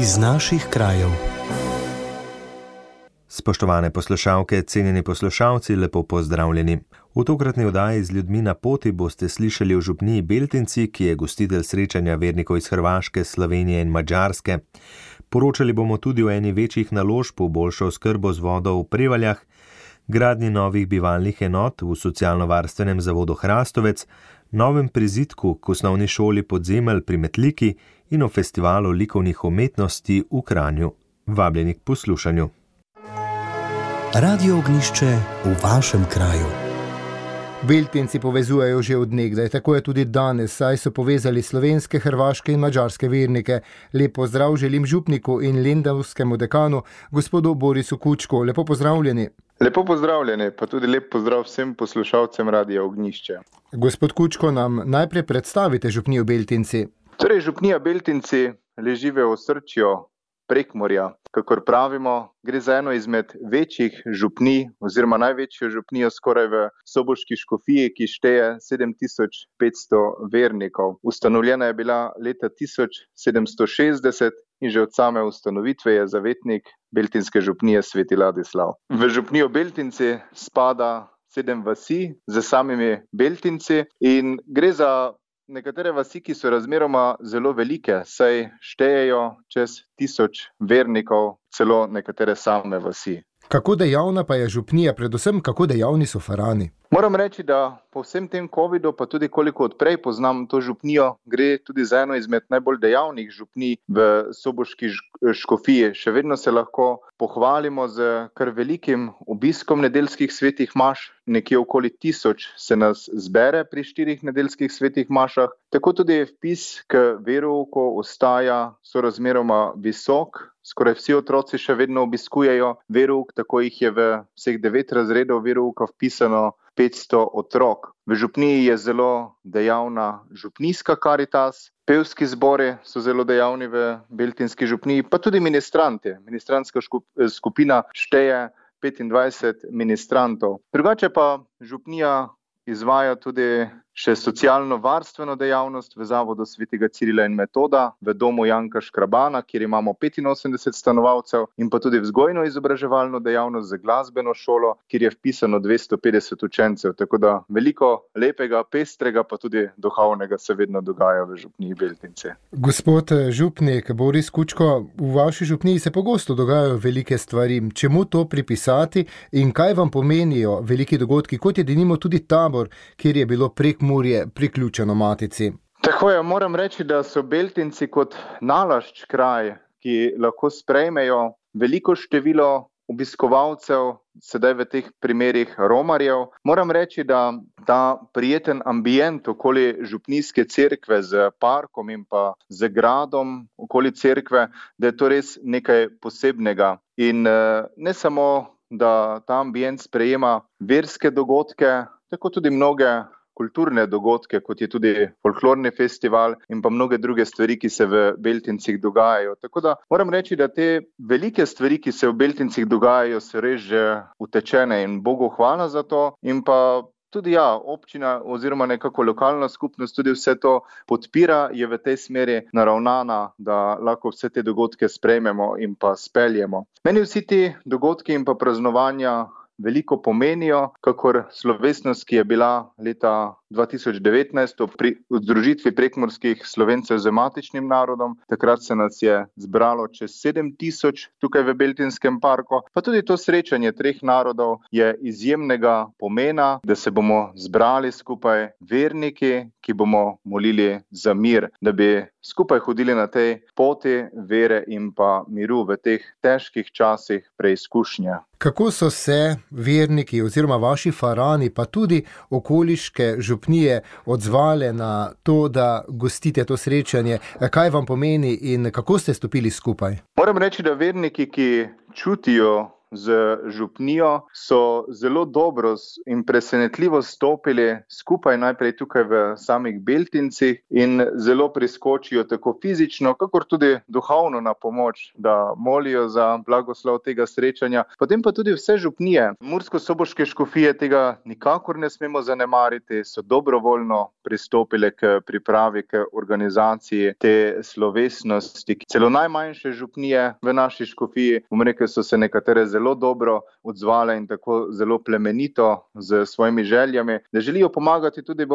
Iz naših krajev. Spoštovane poslušalke, cenjeni poslušalci, lepo pozdravljeni. V tokratni oddaji z ljudmi na poti boste slišali o župniji Beltinci, ki je gostitelj srečanja vernikov iz Hrvaške, Slovenije in Madžarske. Poročali bomo tudi o eni večjih naložb v boljšo oskrbo z vodo v Prevaljah, gradnji novih bivalnih enot v socialno-varstvenem zavodu Hrastovec, novem prizidku k osnovni šoli Podzemelj pri Metliki in o festivalu likovnih umetnosti v Kranju. Vabljeni k poslušanju. Radio Ognjišče v vašem kraju. Beltinci povezujejo že od nekdaj, tako je tudi danes, saj so povezali slovenske, hrvaške in madžarske vernike. Lep pozdrav želim župniku in lendavskemu dekanu, gospodu Borisu Kučku. Lepo pozdravljeni. Lepo pozdravljeni, pa tudi lep pozdrav vsem poslušalcem Radia Ognjišče. Gospod Kučko, nam najprej predstavite župnijo Beltinci. Torej, župnija Beltinci leži v osrčju Prekmurja. Kakor pravimo, gre za eno izmed večjih župnij oziroma največjo župnijo skoraj v Soboški škofiji, ki šteje 7500 vernikov. Ustanovljena je bila leta 1760 in že od same ustanovitve je zavetnik beltinske župnije Sveti Ladislav. V župnijo Beltinci spada 7 vasi z samimi Beltinci in gre za nekatere vasi, ki so razmeroma zelo velike, saj štejejo čez 1000 vernikov, celo nekatere same vasi. Kako dejavna pa je župnija, predvsem kako dejavni so farani? Moram reči, da po vsem tem covidu, pa tudi koliko odprej poznam to župnijo, gre tudi za eno izmed najbolj dejavnih župnij v Soboški škofiji. Še vedno se lahko pohvalimo z kar velikim obiskom nedeljskih svetih maš, nekje okoli 1000 se nas zbere pri 4 nedeljskih svetih mašah. Tako tudi vpis k verouku ostaja sorazmeroma visok. Skoraj vsi otroci še vedno obiskujejo verouk, tako jih je v vseh 9 razredov verouka vpisano 500 otrok. V župniji je zelo dejavna župnijska karitas, pevski zbori so zelo dejavni v beltinski župniji, pa tudi ministranti. Ministrantska skupina šteje 25 ministrantov. Drugače pa župnija izvaja tudi še socialno-varstveno dejavnost v zavodu Svetega Cirila in Metoda, v domu Janka Škrabana, kjer imamo 85 stanovalcev, in pa tudi vzgojno-izobraževalno dejavnost za glasbeno šolo, kjer je vpisano 250 učencev. Tako da veliko lepega, pestrega, pa tudi duhovnega se vedno dogaja v župniji Beltinci. Gospod župnik Boris Kučko, v vaši župniji se pogosto dogajajo velike stvari. Čemu to pripisati in kaj vam pomenijo veliki dogodki, kot je denimo tudi tabor, kjer je bilo Prekmurje priključeno Matici? Tako je, moram reči, da so Beltinci kot nalašč kraj, ki lahko sprejmejo veliko število obiskovalcev, sedaj v teh primerih romarjev. Moram reči, da ta prijeten ambient okoli župnijske cerkve z parkom in pa z gradom okoli cerkve, da je to res nekaj posebnega. In ne samo, da ta ambient sprejema verske dogodke, tako tudi mnoge kulturne dogodke, kot je tudi folklorni festival in pa mnoge druge stvari, ki se v Beltincih dogajajo. Tako da moram reči, da te velike stvari, ki se v Beltincih dogajajo, so res že utečene in Bogu hvala za to. In pa tudi občina oziroma nekako lokalna skupnost tudi vse to podpira, je v tej smeri naravnana, da lahko vse te dogodke sprejmemo in pa speljemo. Meni vsi ti dogodki in pa praznovanja veliko pomenijo, kakor slovesnost, ki je bila leta 2019 pri združitvi prekmurskih Slovencev z matičnim narodom. Takrat se nas je zbralo čez 7000 tukaj v Beltinskem parku. Pa tudi to srečanje 3 narodov je izjemnega pomena, da se bomo zbrali skupaj verniki, ki bomo molili za mir, da bi skupaj hodili na tej poti vere in pa miru v teh težkih časih preizkušnje. Kako so se verniki oziroma vaši farani, pa tudi okoliške župnije odzvale na to, da gostite to srečanje? Kaj vam pomeni in kako ste stopili skupaj? Moram reči, da verniki, ki čutijo z župnijo so zelo dobro in presenetljivo stopili skupaj najprej tukaj v samih Beltincih in zelo priskočijo tako fizično, kakor tudi duhovno na pomoč, da molijo za blagoslov tega srečanja. Potem pa tudi vse župnije. Mursko-soboške škofije tega nikakor ne smemo zanemariti, so dobrovoljno pristopile k pripravi, k organizaciji te slovesnosti. Celo najmanjše župnije v naši škofiji, so se nekatere zelo dobro odzvale in tako zelo plemenito z svojimi željami, da želijo pomagati tudi,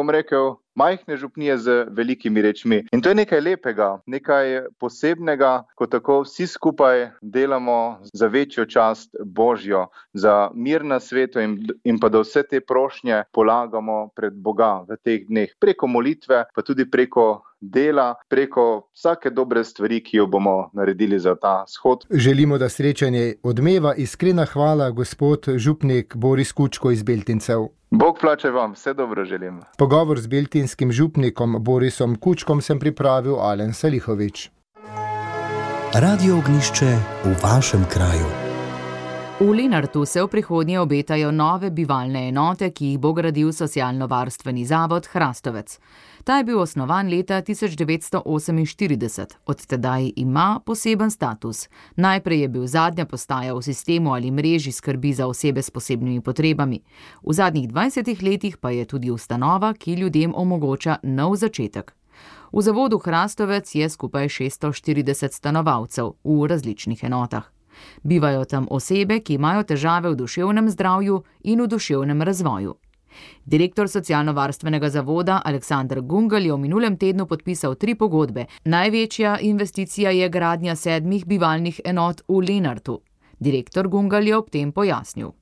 majhne župnije z velikimi rečmi. In to je nekaj lepega, nekaj posebnega, ko tako vsi skupaj delamo za večjo čast Božjo, za mir na svetu in pa da vse te prošnje polagamo pred Boga v teh dneh, preko molitve, pa tudi preko dela, preko vsake dobre stvari, ki jo bomo naredili za ta shod. Želimo, da srečanje odmeva. Iskrena hvala, gospod župnik Boris Kučko iz Beltincev. Bog plače vam, vse dobro želim. Pogovor z beltinskim župnikom Borisom Kučkom sem pripravil Alen Salihovič. Radio Ognjišče v vašem kraju. V Lenartu se v prihodnje obetajo nove bivalne enote, ki jih bo gradil socialno-varstveni zavod Hrastovec. Ta je bil osnovan leta 1948, od tedaj ima poseben status. Najprej je bil zadnja postaja v sistemu ali mreži skrbi za osebe s posebnimi potrebami. V zadnjih 20 letih pa je tudi ustanova, ki ljudem omogoča nov začetek. V zavodu Hrastovec je skupaj 640 stanovalcev v različnih enotah. Bivajo tam osebe, ki imajo težave v duševnem zdravju in v duševnem razvoju. Direktor socialno-varstvenega zavoda Aleksander Gungelj je v minulem tednu podpisal 3 pogodbe. Največja investicija je gradnja 7 bivalnih enot v Lenartu. Direktor Gungelj je ob tem pojasnil.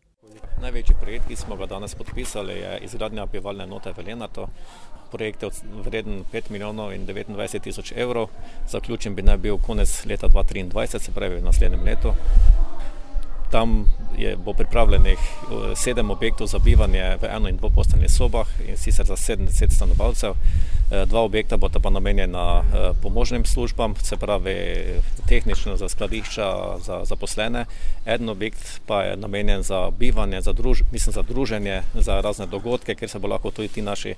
Največji projekt, ki smo ga danes podpisali, je izgradnja bivalne enote v Lenartu. Projekt je vreden 5 milijonov in 29 tisoč evrov. Zaključen bi naj bil konec leta 2023, se pravi v naslednjem letu. Tam bo pripravljenih 7 objektov za bivanje v 1- in 2-posteljnih sobah, in sicer za 70 stanovalcev. 2 objekta bodo pa namenjena pomožnim službam, se pravi tehnično za skladišča, za zaposlene. En objekt pa je namenjen za bivanje, za druženje, za razne dogodke, kjer se bo lahko tudi ti naši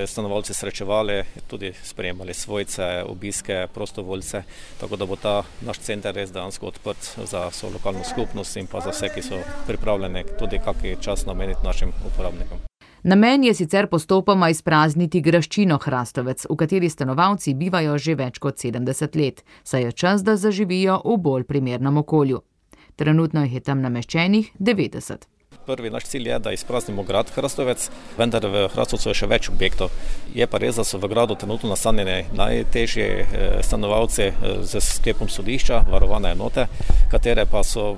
stanovalci srečevali, tudi sprejemali svojce, obiske, prostovoljce, tako da bo ta naš center res dejansko odprt za vso lokalno skupnost in pa za vse, ki so pripravljeni tudi kakšen čas nameniti našim uporabnikom. Namen je sicer postopoma izprazniti graščino Hrastovec, v kateri stanovalci bivajo že več kot 70 let, saj je čas, da zaživijo v bolj primernem okolju. Trenutno jih je tam nameščenih 90. Prvi naš cilj je, da izpraznimo grad Hrastovec, vendar v Hrastovcu je še več objektov. Je pa res, da so v gradu trenutno nastanjeni najtežji stanovalci z sklepom sodišča, varovane enote, katere pa so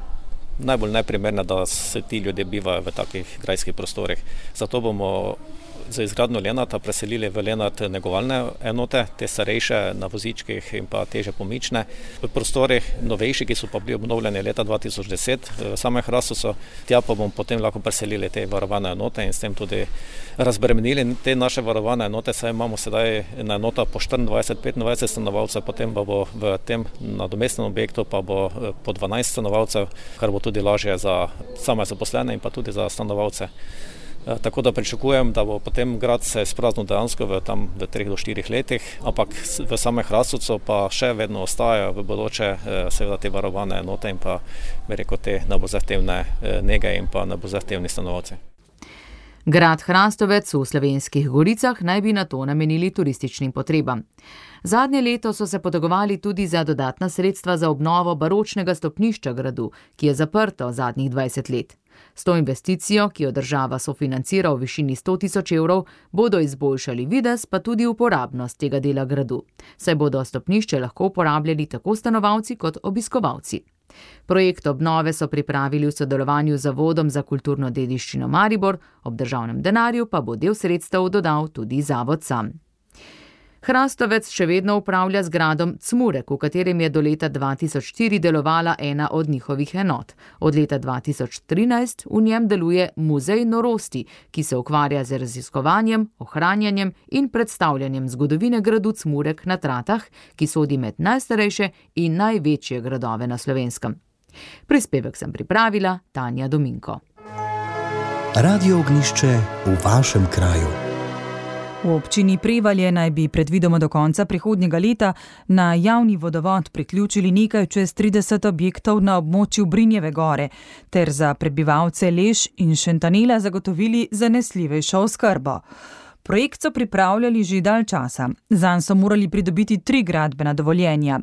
najbolj neprimerne, da se ti ljudje bivajo v takih grajskih prostorih. Zato bomo za izgradnjo Lenarta preselili v Lenart negovalne enote, te starejše na vozičkih in pa teže pomične. V prostorih novejši, ki so pa bili obnovljeni leta 2010 v samem Hrastovcu, tja pa bomo potem lahko preselili te varovane enote in s tem tudi razbremenili te naše varovane enote, saj imamo sedaj na enota po 24-25 stanovalcev, potem pa bo v tem nadomestnem objektu pa bo po 12 stanovalcev, kar bo tudi lažje za same zaposlene in pa tudi za stanovalce. Tako da pričakujem, da bo potem grad se izpraznil dejansko v 3 do 4 letih, ampak v samem Hrastovcu pa še vedno ostajajo v bodoče seveda te varovane enote in pa te najbolj zahtevne nege in pa najbolj zahtevni stanovalci. Grad Hrastovec v Slovenskih Goricah naj bi na to namenili turističnim potrebam. Zadnje leto so se potegovali tudi za dodatna sredstva za obnovo baročnega stopnišča gradu, ki je zaprto zadnjih 20 let. S to investicijo, ki jo država sofinancira v višini 100 tisoč evrov, bodo izboljšali videz, pa tudi uporabnost tega dela gradu, saj bodo stopnišče lahko uporabljali tako stanovalci kot obiskovalci. Projekt obnove so pripravili v sodelovanju z Zavodom za kulturno dediščino Maribor, ob državnem denarju pa bo del sredstev dodal tudi zavod sam. Hrastovec še vedno upravlja z gradom Cmurek, v katerem je do leta 2004 delovala ena od njihovih enot. Od leta 2013 v njem deluje Muzej norosti, ki se ukvarja z raziskovanjem, ohranjanjem in predstavljanjem zgodovine gradu Cmurek na Tratah, ki sodi med najstarejše in največje gradove na Slovenskem. Prispevek sem pripravila Tanja Dominko. Radio Ognjišče v vašem kraju. V občini Prevalje naj bi predvidoma do konca prihodnjega leta na javni vodovod priključili nekaj čez 30 objektov na območju Brinjeve gore ter za prebivalce Leš in Šentanela zagotovili zanesljivejšo oskrbo. Projekt so pripravljali že dalj časa. Zanj so morali pridobiti 3 gradbena dovoljenja.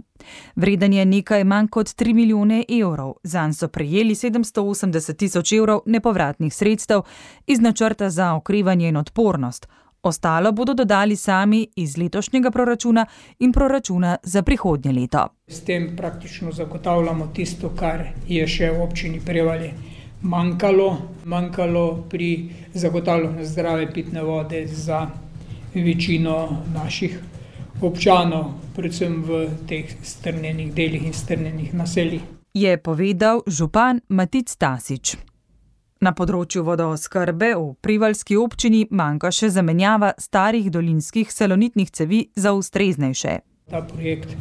Vreden je nekaj manj kot 3 milijone evrov. Zanj so prejeli 780 tisoč evrov nepovratnih sredstev iz načrta za okrevanje in odpornost. Ostalo bodo dodali sami iz letošnjega proračuna in proračuna za prihodnje leto. S tem praktično zagotavljamo tisto, kar je še v občini Prevalje manjkalo pri zagotavljanju zdrave pitne vode za večino naših občanov, predvsem v teh strnjenih delih in strnjenih naseljih. Je povedal župan Matic Tasič. Na področju vodooskrbe v Prevaljski občini manjka še zamenjava starih dolinskih salonitnih cevi za ustreznejše. Ta projekt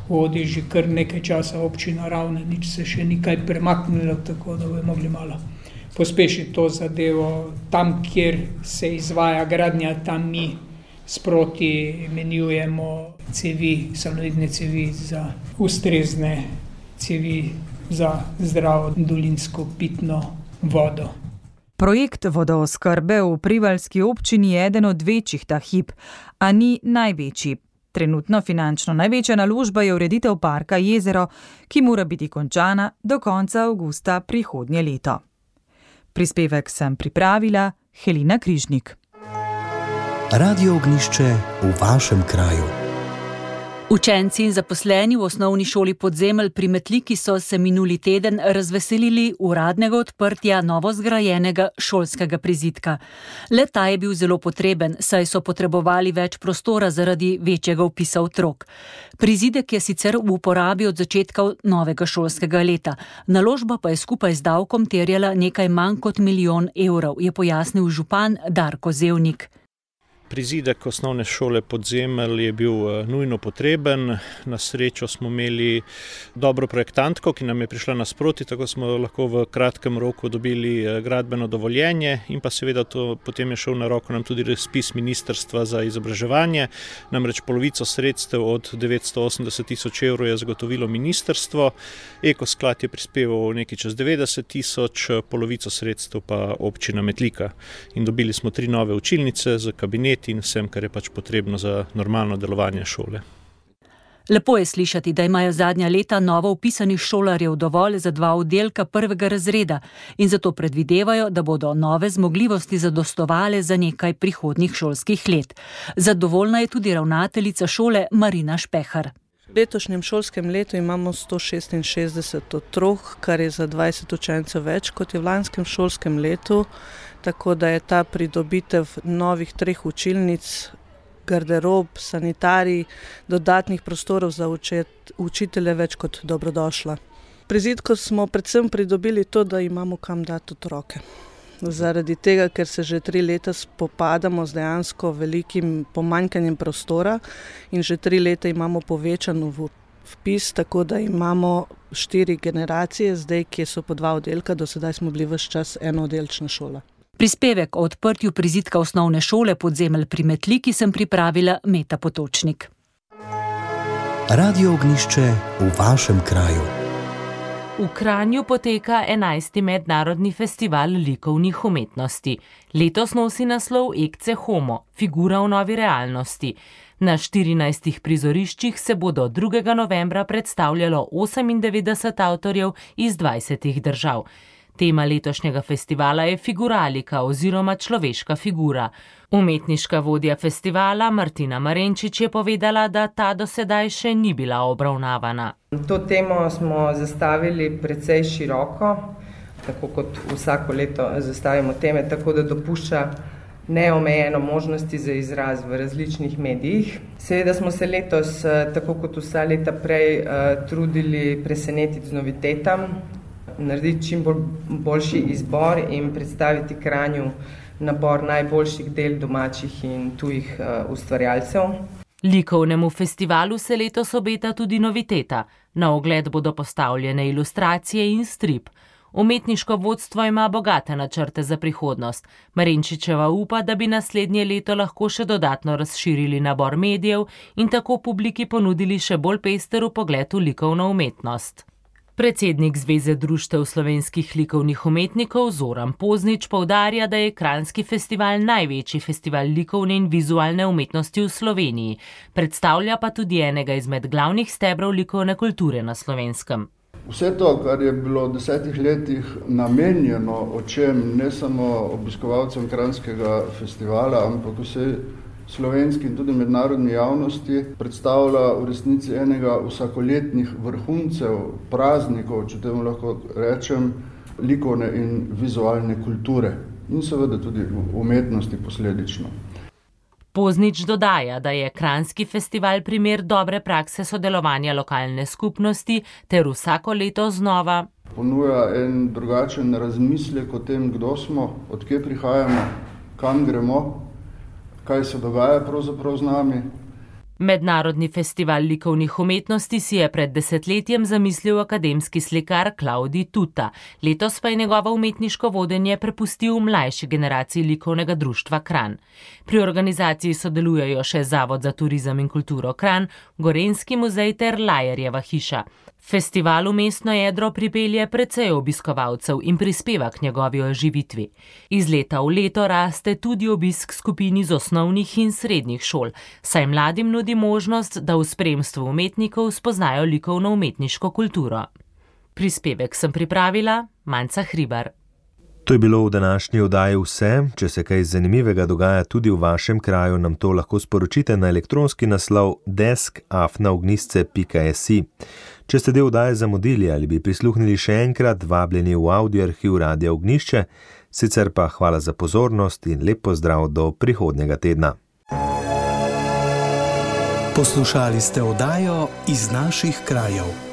vodi že kar nekaj časa občina Ravne, nič se še ni kaj premaknilo, tako da bomo mogli malo pospešiti to zadevo. Tam, kjer se izvaja gradnja, tam mi sproti menjujemo cevi, salonitne cevi za ustrezne cevi za zdravo dolinsko pitno vodo. Projekt vodooskrbe v Prevaljski občini je eden od večjih ta hip, a ni največji. Trenutno finančno največja naložba je ureditev parka Jezero, ki mora biti končana do konca avgusta prihodnje leto. Prispevek sem pripravila Helena Križnik. Radio Ognjišče v vašem kraju. Učenci in zaposleni v osnovni šoli Podzemelj pri Metliki so se minuli teden razveselili uradnega odprtja novozgrajenega šolskega prizidka. Le-ta je bil zelo potreben, saj so potrebovali več prostora zaradi večjega vpisa otrok. Prizidek je sicer v uporabi od začetka novega šolskega leta. Naložba pa je skupaj z davkom terjala nekaj manj kot 1 milijon evrov, je pojasnil župan Darko Zevnik. Prizidek osnovne šole Podzemelj je bil nujno potreben. Na srečo smo imeli dobro projektantko, ki nam je prišla nasproti, tako smo lahko v kratkem roku dobili gradbeno dovoljenje in pa seveda to potem je šel na roko nam tudi razpis Ministrstva za izobraževanje. Namreč polovico sredstev od 980 tisoč evrov je zagotovilo ministrstvo, Ekosklad je prispeval nekaj čez 90 tisoč, polovico sredstev pa občina Metlika. In dobili smo 3 nove učilnice z kabinet in vsem, kar je pač potrebno za normalno delovanje šole. Lepo je slišati, da imajo zadnja leta novo vpisanih šolarjev dovolj za 2 oddelka 1. razreda in zato predvidevajo, da bodo nove zmogljivosti zadostovale za nekaj prihodnjih šolskih let. Zadovoljna je tudi ravnateljica šole Marina Špehar. V letošnjem šolskem letu imamo 166 otrok, kar je za 20 učencev več kot je v lanskem šolskem letu, tako da je ta pridobitev novih 3 učilnic, garderob, sanitarij, dodatnih prostorov za učitelje več kot dobrodošla. Prizidko smo predvsem pridobili to, da imamo kam dati otroke. Zaradi tega, ker se že 3 leta spopadamo z dejansko velikim pomanjkanjem prostora in že 3 leta imamo povečan vpis, tako da imamo 4 generacije, zdaj, ki so po 2 oddelka, do sedaj smo bili ves čas enooddelčna šola. Prispevek o odprtju prizidka osnovne šole Podzemelj pri Metliki sem pripravila Meta Potočnik. Radio Ognjišče v vašem kraju. V Kranju poteka 11. mednarodni festival likovnih umetnosti. Letos nosi naslov Ecce Homo, figura v novi realnosti. Na 14 prizoriščih se bo do 2. novembra predstavljalo 98 avtorjev iz 20 držav. Tema letošnjega festivala je figuralika oziroma človeška figura. Umetniška vodja festivala Martina Marenčič je povedala, da ta do sedaj še ni bila obravnavana. To temo smo zastavili precej široko, tako kot vsako leto zastavimo teme, tako da dopušča neomejeno možnosti za izraz v različnih medijih. Seveda smo se letos, tako kot vsa leta prej, trudili presenetiti z novitetam, narediti čim boljši izbor in predstaviti Kranju nabor najboljših del domačih in tujih ustvarjalcev. Likovnemu festivalu se letos obeta tudi noviteta. Na ogled bodo postavljene ilustracije in strip. Umetniško vodstvo ima bogate načrte za prihodnost. Marinčičeva upa, da bi naslednje leto lahko še dodatno razširili nabor medijev in tako publiki ponudili še bolj pester vpogled v likovno umetnost. Predsednik Zveze društev slovenskih likovnih umetnikov Zoran Poznič poudarja, da je Kranjski festival največji festival likovne in vizualne umetnosti v Sloveniji. Predstavlja pa tudi enega izmed glavnih stebrov likovne kulture na Slovenskem. Vse to, kar je bilo v 10 letih namenjeno očem ne samo obiskovalcem Kranjskega festivala, ampak vsej slovenski in tudi mednarodni javnosti, predstavlja v resnici enega vsakoletnih vrhuncev, praznikov, če temu lahko rečem, likovne in vizualne kulture in seveda tudi umetnosti posledično. Poznič dodaja, da je Kranjski festival primer dobre prakse sodelovanja lokalne skupnosti ter vsako leto znova ponuja en drugačen razmislek o tem, kdo smo, od kje prihajamo, kam gremo, kaj se dogaja pravzaprav z nami. Mednarodni festival likovnih umetnosti si je pred 10 zamislil akademski slikar Klavdij Tuta. Letos pa je njegovo umetniško vodenje prepustil mlajši generaciji likovnega društva Kranj. Pri organizaciji sodelujejo še Zavod za turizem in kulturo Kranj, Gorenjski muzej ter Lajerjeva hiša. Festival v mestno jedro pripelje precej obiskovalcev in prispeva k njegovi oživitvi. Iz leta v leto raste tudi obisk skupini z osnovnih in srednjih šol, saj mladim nudi možnost, da v spremstvu umetnikov spoznajo likovno-umetniško kulturo. Prispevek sem pripravila Manca Hribar. To je bilo v današnji oddaji vse. Če se kaj zanimivega dogaja tudi v vašem kraju, nam to lahko sporočite na elektronski naslov desk@ognistce.si. Če ste del oddaje zamudili ali bi prisluhnili še enkrat, vabljeni v audio arhiv Radia Ognjišče, sicer pa hvala za pozornost in lep pozdrav do prihodnjega tedna. Poslušali ste oddajo Iz naših krajev.